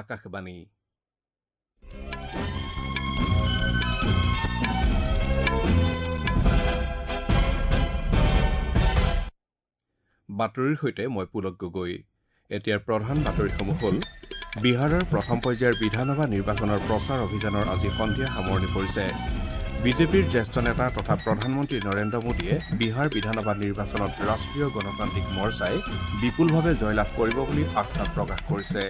আকাশবাণী। বাতৰিৰ সৈতে মই পুলক গগৈ। এতিয়াৰ প্ৰধান বাতৰিসমূহ হ'ল: বিহাৰৰ প্ৰথম পৰ্যায়ৰ বিধানসভা নিৰ্বাচনৰ প্ৰচাৰ অভিযানৰ আজি সন্ধিয়া সামৰণি পৰিছে। বিজেপিৰ জ্যেষ্ঠ নেতা তথা প্ৰধানমন্ত্ৰী নৰেন্দ্ৰ মোদীয়ে বিহাৰ বিধানসভা নিৰ্বাচনত ৰাষ্ট্ৰীয় গণতান্ত্ৰিক মৰ্চাই বিপুলভাৱে জয়লাভ কৰিব বুলি আস্থা প্ৰকাশ কৰিছে।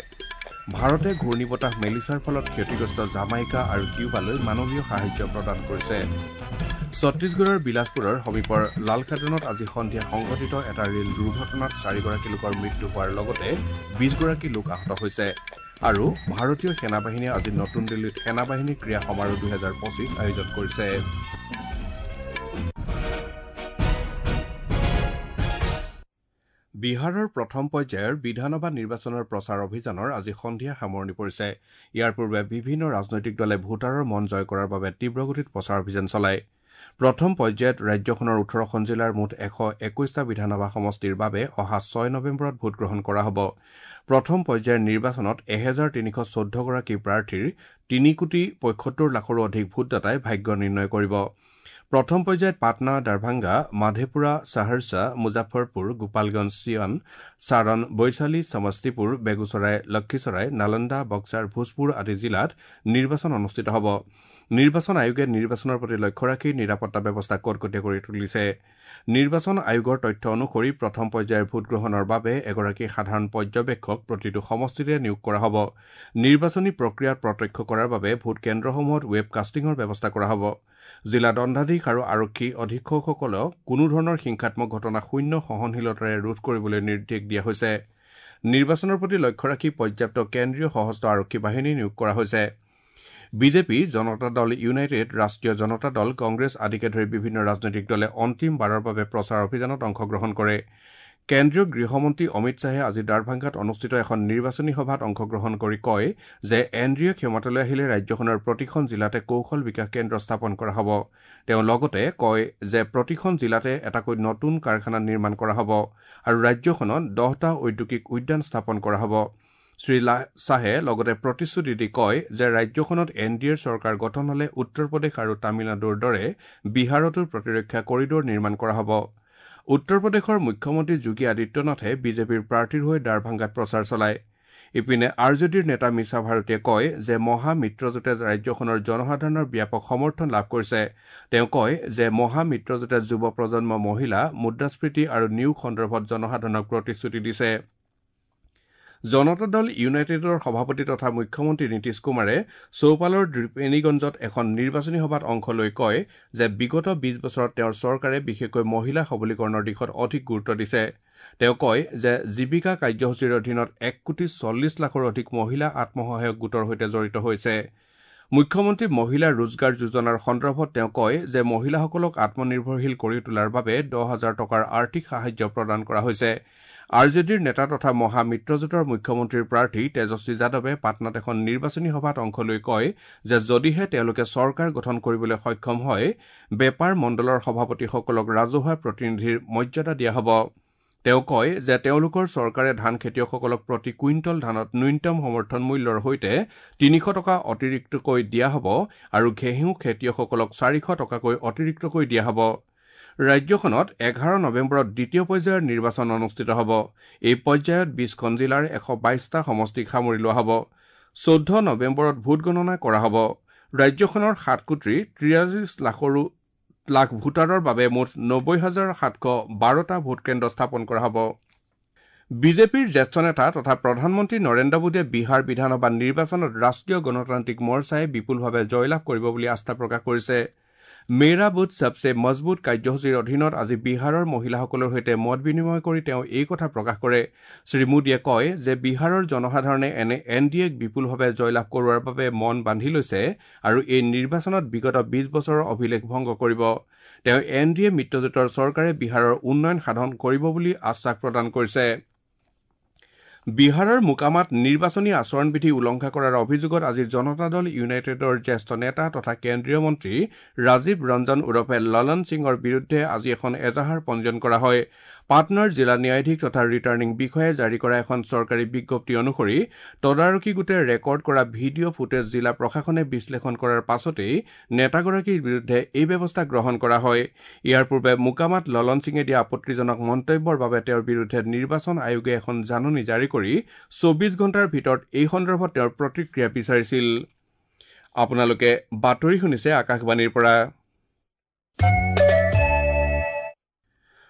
ভাৰতে ঘূৰ্ণীবতাহ মেলিছাৰ ফলত ক্ষতিগ্ৰস্ত জামাইকা আৰু কিউবালৈ মানৱীয় সাহায্য প্ৰদান কৰিছে। ছত্তীশগড়ৰ বিলাসপুৰৰ সমীপৰ লালখাদনত আজি সন্ধিয়া সংঘটিত এটা ৰেল দুৰ্ঘটনাত 4গৰাকী লোকৰ মৃত্যু হোৱাৰ লগতে 20গৰাকী লোক আহত হৈছে। আৰু ভাৰতীয় সেনাবাহিনীয়ে আজি নতুন দিল্লীত সেনাবাহিনী ক্ৰীড়া সমাৰোহ 2025 আয়োজন কৰিছে। বিহাৰৰ প্ৰথম পৰ্যায়ৰ বিধানসভা নিৰ্বাচনৰ প্ৰচাৰ অভিযানৰ আজি সন্ধিয়া সামৰণি পৰিছে। ইয়াৰ পূৰ্বে বিভিন্ন ৰাজনৈতিক দলে ভোটাৰৰ মন জয় কৰাৰ বাবে তীব্ৰগতিত প্ৰচাৰ অভিযান চলায়। প্ৰথম পৰ্যায়ত ৰাজ্যখনৰ 18খন জিলাৰ মুঠ 121টা বিধানসভা সমষ্টিৰ বাবে অহা 6 নৱেম্বৰত ভোটগ্ৰহণ কৰা হ'ব। প্ৰথম পৰ্যায়ৰ নিৰ্বাচনত 1314গৰাকী প্ৰাৰ্থীৰ 3,75,00,000ৰো অধিক ভোটদাতাই ভাগ্য নিৰ্ণয় কৰিব। প্ৰথম পৰ্যায়ত পাটনা, দাৰভাংগা, মাধেপুৰা, সাহৰছা, মুজাফৰপুৰ, গোপালগঞ্জ, চিয়ান, চাৰণ, বৈশালী, সমস্তিপুৰ, বেগুচৰাই, লক্ষীচৰাই, নালন্দা, বক্সাৰ, ভোজপুৰ আদি জিলাত নিৰ্বাচন অনুষ্ঠিত হ'ব। নিৰ্বাচন আয়োগে নিৰ্বাচনৰ প্ৰতি লক্ষ্য ৰাখি নিৰাপত্তা ব্যৱস্থা কটকটীয়া কৰি তুলিছে। নিৰ্বাচন আয়োগৰ তথ্য অনুসৰি প্ৰথম পৰ্যায়ৰ ভোটগ্ৰহণৰ বাবে এগৰাকী সাধাৰণ পৰ্যবেক্ষক প্ৰতিটো সমষ্টিতে নিয়োগ কৰা হ'ব। নিৰ্বাচনী প্ৰক্ৰিয়া প্ৰত্যক্ষ কৰাৰ বাবে ভোটকেন্দ্ৰসমূহত ৱেব কাষ্টিঙৰ ব্যৱস্থা কৰা হ'ব। জিলা দণ্ডাধীশ আৰু আৰক্ষী অধীক্ষকসকলক কোনো ধৰণৰ হিংসাত্মক ঘটনা শূন্য সহনশীলতাৰে ৰোধ কৰিবলৈ নিৰ্দেশ দিয়া হৈছে। নিৰ্বাচনৰ প্ৰতি লক্ষ্য ৰাখি পৰ্যাপ্ত কেন্দ্ৰীয় সশস্ত্ৰ আৰক্ষী বাহিনী নিয়োগ কৰা হৈছে। বিজেপি, জনতা দল ইউনাইটেড, ৰাষ্ট্ৰীয় জনতা দল, কংগ্ৰেছ আদিকে ধৰি বিভিন্ন ৰাজনৈতিক দলে অন্তিমবাৰৰ বাবে প্ৰচাৰ অভিযানত অংশগ্ৰহণ কৰে। কেন্দ্ৰীয় গৃহমন্ত্ৰী অমিত শ্বাহে আজি দাৰভাংগাত অনুষ্ঠিত এখন নিৰ্বাচনী সভাত অংশগ্ৰহণ কৰি কয় যে এন ডি এ ক্ষমতালৈ আহিলে ৰাজ্যখনৰ প্ৰতিখন জিলাতে কৌশল বিকাশ কেন্দ্ৰ স্থাপন কৰা হ'ব। তেওঁ লগতে কয় যে প্ৰতিখন জিলাতে এটাকৈ নতুন কাৰখানা নিৰ্মাণ কৰা হ'ব আৰু ৰাজ্যখনত 10টা ঔদ্যোগিক উদ্যান স্থাপন কৰা হ'ব। শ্ৰী শ্বাহে লগতে প্ৰতিশ্ৰুতি দি কয় যে ৰাজ্যখনত এন ডি এৰ চৰকাৰ গঠন হ'লে উত্তৰ প্ৰদেশ আৰু তামিলনাডুৰ দৰে বিহাৰতো প্ৰতিৰক্ষা কৰিডৰ নিৰ্মাণ কৰা হ'ব। উত্তৰ প্ৰদেশৰ মুখ্যমন্ত্ৰী যোগী আদিত্যনাথে বিজেপিৰ প্ৰাৰ্থীৰ হৈ দাৰভাংগাত প্ৰচাৰ চলায়। ইপিনে আৰ জে ডিৰ নেতা মিছা ভাৰতীয়ে কয় যে মহা মিত্ৰজোঁটে ৰাজ্যখনৰ জনসাধাৰণৰ ব্যাপক সমৰ্থন লাভ কৰিছে। তেওঁ কয় যে মহা মিত্ৰজোঁটে যুৱ প্ৰজন্ম, মহিলা, মুদ্ৰাস্ফীতি আৰু নিয়োগ সন্দৰ্ভত জনসাধাৰণক প্ৰতিশ্ৰুতি দিছে। জনতা দল ইউনাইটেডৰ সভাপতি তথা মুখ্যমন্ত্ৰী নীতিশ কুমাৰে চৌপালৰ ত্ৰিবেণীগঞ্জত এখন নিৰ্বাচনী সভাত অংশ লৈ কয় যে বিগত 20 বছৰত তেওঁৰ চৰকাৰে বিশেষকৈ মহিলা সবলীকৰণৰ দিশত অধিক গুৰুত্ব দিছে। তেওঁ কয় যে জীৱিকা কাৰ্যসূচীৰ অধীনত 1,40,00,000ৰো অধিক মহিলা আত্মসহায়ক গোটৰ সৈতে জড়িত হৈছে। মুখ্যমন্ত্ৰী মহিলা ৰোজগাৰ যোজনাৰ সন্দৰ্ভত তেওঁ কয় যে মহিলাসকলক আত্মনিৰ্ভৰশীল কৰি তোলাৰ বাবে 10,000 টকাৰ আৰ্থিক সাহায্য প্ৰদান কৰা হৈছে। আৰ জে ডিৰ নেতা তথা মহা মিত্ৰজোঁটৰ মুখ্যমন্ত্ৰীৰ প্ৰাৰ্থী তেজস্বী যাদৱে পাটনাত এখন নিৰ্বাচনী সভাত অংশ লৈ কয় যে যদিহে তেওঁলোকে চৰকাৰ গঠন কৰিবলৈ সক্ষম হয়, বেপাৰ মণ্ডলৰ সভাপতিসকলক ৰাজহুৱা প্ৰতিনিধিৰ মৰ্যাদা দিয়া হ'ব। তেওঁ কয় যে তেওঁলোকৰ চৰকাৰে ধান খেতিয়কসকলক প্ৰতি কুইণ্টল ধানত ন্যূনতম সমৰ্থন মূল্যৰ সৈতে 300 টকা অতিৰিক্তকৈ দিয়া হ'ব আৰু ঘেঁহু খেতিয়কসকলক 400 টকাকৈ অতিৰিক্তকৈ দিয়া হ'ব। ৰাজ্যখনত 11 নৱেম্বৰত দ্বিতীয় পৰ্যায়ৰ নিৰ্বাচন অনুষ্ঠিত হ'ব। এই পৰ্যায়ত 20খন জিলাৰ 122টা সমষ্টিক সামৰি লোৱা হ'ব। 14 নৱেম্বৰত ভোটগণনা কৰা হ'ব। ৰাজ্যখনৰ 7,43,00,000 লাখ ভোটাৰৰ বাবে মুঠ 90,712টা ভোটকেন্দ্ৰ স্থাপন কৰা হ'ব। বিজেপিৰ জ্যেষ্ঠ নেতা তথা প্ৰধানমন্ত্ৰী নৰেন্দ্ৰ মোদীয়ে বিহাৰ বিধানসভা নিৰ্বাচনত ৰাষ্ট্ৰীয় গণতান্ত্ৰিক মৰ্চাই বিপুলভাৱে জয়লাভ কৰিব বুলি আস্থা প্ৰকাশ কৰিছে। মেৰা বুথ সবসে মজবুত কাৰ্যসূচীৰ অধীনত আজি বিহাৰৰ মহিলাসকলৰ সৈতে মত বিনিময় কৰি তেওঁ এই কথা প্ৰকাশ কৰে। শ্ৰী মোদীয়ে কয় যে বিহাৰৰ জনসাধাৰণে এন ডি এক বিপুলভাৱে জয়লাভ কৰোৱাৰ বাবে মন বান্ধি লৈছে আৰু এই নিৰ্বাচনত বিগত 20 বছৰৰ অভিলেখ ভংগ কৰিব। তেওঁ এন ডি এ মিত্ৰজোঁটৰ চৰকাৰে বিহাৰৰ উন্নয়ন সাধন কৰিব বুলি আশ্বাস প্ৰদান কৰিছে। বিহাৰৰ মোকামাত নিৰ্বাচনী আচৰণবিধি উলংঘা কৰাৰ অভিযোগত আজি জনতা দল ইউনাইটেডৰ জ্যেষ্ঠ নেতা তথা কেন্দ্ৰীয় মন্ত্ৰী ৰাজীৱ ৰঞ্জন ওৰফে ললন সিঙৰ বিৰুদ্ধে আজি এখন এজাহাৰ পঞ্জীয়ন কৰা হয়। পাটনাৰ জিলা ন্যায়াধীশ তথা ৰিটাৰ্ণিং বিষয়াই জাৰি কৰা এখন চৰকাৰী বিজ্ঞপ্তি অনুসৰি তদাৰকী গোটে ৰেকৰ্ড কৰা ভিডিঅ' ফুটেজ জিলা প্ৰশাসনে বিশ্লেষণ কৰাৰ পাছতেই নেতাগৰাকীৰ বিৰুদ্ধে এই ব্যৱস্থা গ্ৰহণ কৰা হয়। ইয়াৰ পূৰ্বে মোকামাত ললন সিঙে দিয়া আপত্তিজনক মন্তব্যৰ বাবে তেওঁৰ বিৰুদ্ধে নিৰ্বাচন আয়োগে এখন জাননী জাৰি কৰি 24 ঘণ্টাৰ ভিতৰত এই সন্দৰ্ভত তেওঁৰ প্ৰতিক্ৰিয়া বিচাৰিছিল। আপোনালোকে বাতৰি শুনিছে আকাশবাণীৰ পৰা।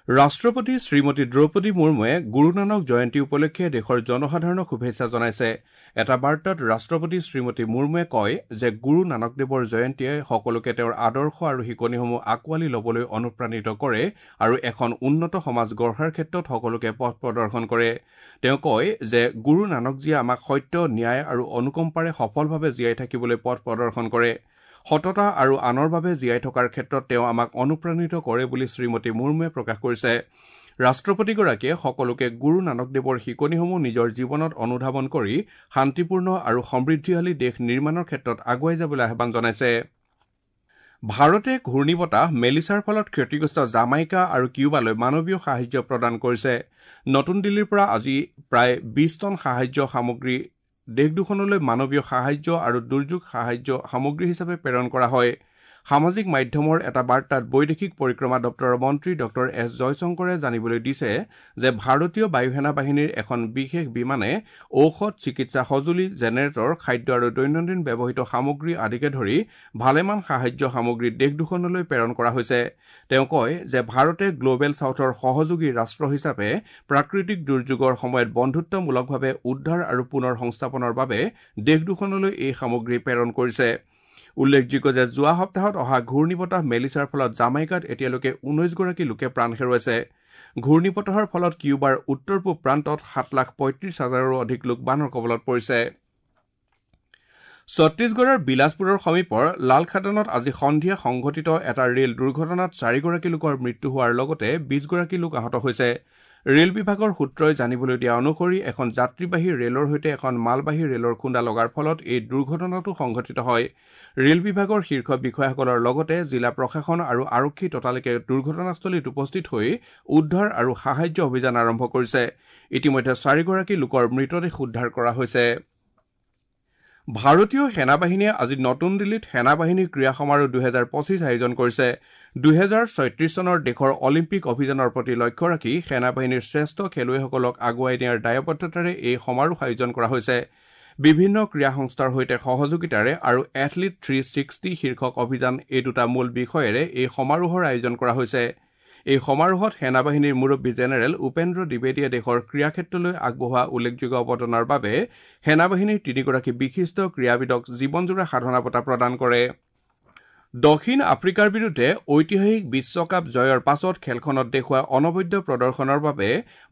ৰাষ্ট্ৰপতি শ্ৰীমতী দ্ৰৌপদী মুৰ্মুৱে গুৰু নানক জয়ন্তী উপলক্ষে দেশৰ জনসাধাৰণক শুভেচ্ছা জনাইছে। এটা বাৰ্তাত ৰাষ্ট্ৰপতি শ্ৰীমতী মুৰ্মুৱে কয় যে গুৰু নানকদেৱৰ জয়ন্তীয়ে সকলোকে তেওঁৰ আদৰ্শ আৰু শিকনিসমূহ আঁকোৱালি ল'বলৈ অনুপ্ৰাণিত কৰে আৰু এখন উন্নত সমাজ গঢ়াৰ ক্ষেত্ৰত সকলোকে পথ প্ৰদৰ্শন কৰে। তেওঁ কয় যে গুৰু নানকজীয়ে আমাক সত্য, ন্যায় আৰু অনুকম্পাৰে সফলভাৱে জীয়াই থাকিবলৈ পথ প্ৰদৰ্শন কৰে। সততা আৰু আনৰ বাবে জীয়াই থকাৰ ক্ষেত্ৰত তেওঁ আমাক অনুপ্ৰাণিত কৰে বুলি শ্ৰীমতী মুৰ্মুৱে প্ৰকাশ কৰিছে। ৰাষ্ট্ৰপতিগৰাকীয়ে সকলোকে গুৰু নানকদেৱৰ শিকনিসমূহ নিজৰ জীৱনত অনুধাৱন কৰি শান্তিপূৰ্ণ আৰু সমৃদ্ধিশালী দেশ নিৰ্মাণৰ ক্ষেত্ৰত আগুৱাই যাবলৈ আহ্বান জনাইছে। ভাৰতে ঘূৰ্ণীবতাহ মেলিছাৰ ফলত ক্ষতিগ্ৰস্ত জামাইকা আৰু কিউবালৈ মানৱীয় সাহায্য প্ৰদান কৰিছে। নতুন দিল্লীৰ পৰা আজি প্ৰায় 20 টন সাহায্য সামগ্ৰী দেশ দুখনলৈ মানৱীয় সাহায্য আৰু দুৰ্যোগ সাহায্য সামগ্ৰী হিচাপে প্ৰেৰণ কৰা হয়। সামাজিক মাধ্যমৰ এটা বাৰ্তাত বৈদেশিক পৰিক্ৰমা দপ্তৰৰ মন্ত্ৰী ডঃ এছ জয়শংকৰে জানিবলৈ দিছে যে ভাৰতীয় বায়ুসেনা বাহিনীৰ এখন বিশেষ বিমানে ঔষধ, চিকিৎসা সঁজুলি, জেনেৰেটৰ, খাদ্য আৰু দৈনন্দিন ব্যৱহৃত সামগ্ৰী আদিকে ধৰি ভালেমান সাহায্য সামগ্ৰী দেশ দুখনলৈ প্ৰেৰণ কৰা হৈছে। তেওঁ কয় যে ভাৰতে গ্ল'বেল ছাউথৰ সহযোগী ৰাষ্ট্ৰ হিচাপে প্ৰাকৃতিক দুৰ্যোগৰ সময়ত বন্ধুত্বমূলকভাৱে উদ্ধাৰ আৰু পুনৰ সংস্থাপনৰ বাবে দেশ দুখনলৈ এই সামগ্ৰী প্ৰেৰণ কৰিছে। উল্লেখযোগ্য যে যোৱা সপ্তাহত অহা ঘূৰ্ণীবতাহ মেলিছাৰ ফলত জামাইকাত এতিয়ালৈকে 19গৰাকী লোকে প্ৰাণ হেৰুৱাইছে। ঘূৰ্ণীবতাহৰ ফলত কিউবাৰ উত্তৰ পূব প্ৰান্তত 7,35,000ৰো অধিক লোক বানৰ কবলত পৰিছে। ছত্তীশগড়ৰ বিলাসপুৰৰ সমীপৰ লালখাদানত আজি সন্ধিয়া সংঘটিত এটা ৰেল দুৰ্ঘটনাত 4গৰাকী লোকৰ মৃত্যু হোৱাৰ লগতে 20গৰাকী লোক আহত হৈছে। ৰেল বিভাগৰ সূত্ৰই জানিবলৈ দিয়া অনুসৰি এখন যাত্ৰীবাহী ৰেলৰ সৈতে এখন মালবাহী ৰেলৰ খুন্দা লগাৰ ফলত এই দুৰ্ঘটনাটো সংঘটিত হয়। ৰেল বিভাগৰ শীৰ্ষ বিষয়াসকলৰ লগতে জিলা প্ৰশাসন আৰু আৰক্ষী ততালিকে দুৰ্ঘটনাস্থলীত উপস্থিত হৈ উদ্ধাৰ আৰু সাহায্য অভিযান আৰম্ভ কৰিছে। ইতিমধ্যে 4গৰাকী লোকৰ মৃতদেহ উদ্ধাৰ কৰা হৈছে। ভাৰতীয় সেনাবাহিনীয়ে আজি নতুন দিল্লীত সেনাবাহিনী ক্ৰীড়া সমাৰোহ 2025 আয়োজন কৰিছে। 2036 চনৰ দেশৰ অলিম্পিক অভিযানৰ প্ৰতি লক্ষ্য ৰাখি সেনাবাহিনীৰ শ্ৰেষ্ঠ খেলুৱৈসকলক আগুৱাই নিয়াৰ দায়বদ্ধতাৰে এই সমাৰোহ আয়োজন কৰা হৈছে। বিভিন্ন ক্ৰীড়া সংস্থাৰ সৈতে সহযোগিতাৰে আৰু এথলীট 360 শীৰ্ষক অভিযান এই দুটা মূল বিষয়েৰে এই সমাৰোহৰ আয়োজন কৰা হৈছে। এই সমাৰোহত সেনাবাহিনীৰ মুৰব্বী জেনেৰেল উপেন্দ্ৰ দ্বিবেদীয়ে দেশৰ ক্ৰীড়া ক্ষেত্ৰলৈ আগবঢ়োৱা উল্লেখযোগ্য অৱদানৰ বাবে সেনাবাহিনীৰ 3গৰাকী বিশিষ্ট ক্ৰীড়াবিদক জীৱনজোৰা সাধনা বঁটা প্ৰদান কৰে। দক্ষিণ আফ্ৰিকাৰ বিৰুদ্ধে ঐতিহাসিক বিশ্বকাপ জয়ৰ পাছত খেলখনত দেখুওৱা অনবদ্য প্ৰদৰ্শনৰ বাবে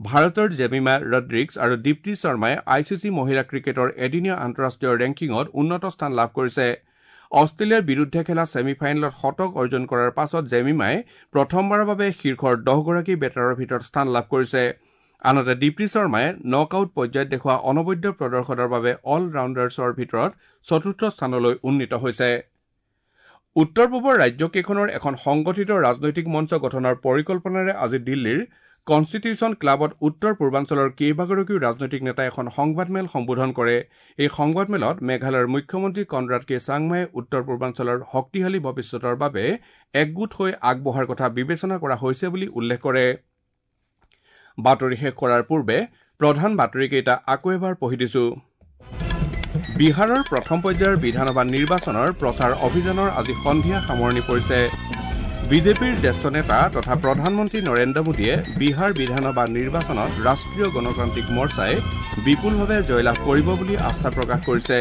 ভাৰতৰ জেমিমা ৰড্ৰিক্স আৰু দীপ্তি শৰ্মাই I C C মহিলা ক্ৰিকেটৰ এদিনীয়া আন্তঃৰাষ্ট্ৰীয় ৰেংকিঙত উন্নত স্থান লাভ কৰিছে। অষ্ট্ৰেলিয়াৰ বিৰুদ্ধে খেলা ছেমি ফাইনেলত শতক অৰ্জন কৰাৰ পাছত জেমিমাই প্ৰথমবাৰৰ বাবে শীৰ্ষৰ 10গৰাকী বেটাৰৰ ভিতৰত স্থান লাভ কৰিছে। আনহাতে দীপ্তি শৰ্মাই নক আউট পৰ্যায়ত দেখুওৱা অনবদ্য প্ৰদৰ্শনৰ বাবে অল ৰাউণ্ডাৰ্ছৰ ভিতৰত চতুৰ্থ স্থানলৈ উন্নীত হৈছে। উত্তৰ পূবৰ ৰাজ্যকেইখনৰ এখন সংগঠিত ৰাজনৈতিক মঞ্চ গঠনৰ পৰিকল্পনাৰে আজি দিল্লীৰ কনষ্টিটিউশ্যন ক্লাবত উত্তৰ পূৰ্বাঞ্চলৰ কেইবাগৰাকীও ৰাজনৈতিক নেতাই এখন সংবাদমেল সম্বোধন কৰে। এই সংবাদমেলত মেঘালয়ৰ মুখ্যমন্ত্ৰী কনৰাড কে চাংমাই উত্তৰ পূৰ্বাঞ্চলৰ শক্তিশালী ভৱিষ্যতৰ বাবে একগোট হৈ আগবঢ়াৰ কথা বিবেচনা কৰা হৈছে বুলি উল্লেখ কৰে। বাতৰি শেষ কৰাৰ পূৰ্বে প্ৰধান বাতৰিকেইটা আকৌ এবাৰ পঢ়ি দিছো। বিহাৰৰ প্ৰথম পৰ্যায়ৰ বিধানসভা নিৰ্বাচনৰ প্ৰচাৰ অভিযানৰ আজি সন্ধিয়া সামৰণি পৰিছে। বিজেপিৰ জ্যেষ্ঠ নেতা তথা প্ৰধানমন্ত্ৰী নৰেন্দ্ৰ মোদীয়ে বিহাৰ বিধানসভা নিৰ্বাচনত ৰাষ্ট্ৰীয় গণতান্ত্ৰিক মৰ্চাই বিপুলভাৱে জয়লাভ কৰিব বুলি আস্থা প্ৰকাশ কৰিছে।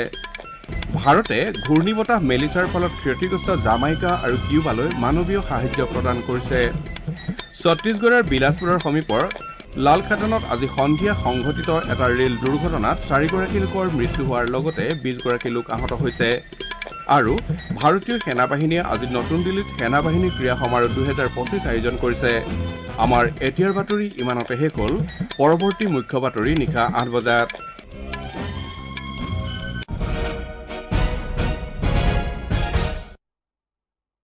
ভাৰতে ঘূৰ্ণীবতাহ মেলিছাৰ ফলত ক্ষতিগ্ৰস্ত জামাইকা আৰু কিউবালৈ মানৱীয় সাহায্য প্ৰদান কৰিছে। ছত্তীশগড়ৰ বিলাসপুৰৰ সমীপৰ লালখাদানত আজি সন্ধিয়া সংঘটিত এটা ৰেল দুৰ্ঘটনাত 4গৰাকী লোকৰ মৃত্যু হোৱাৰ লগতে 20গৰাকী লোক আহত হৈছে। আৰু ভাৰতীয় সেনাবাহিনীয়ে আজি নতুন দিল্লীত সেনাবাহিনী ক্ৰীড়া সমাৰোহ 2025 আয়োজন কৰিছে। আমাৰ এতিয়াৰ বাতৰি ইমানতে শেষ হ'ল। পৰৱৰ্তী মুখ্য বাতৰি নিশা 8 বজাত।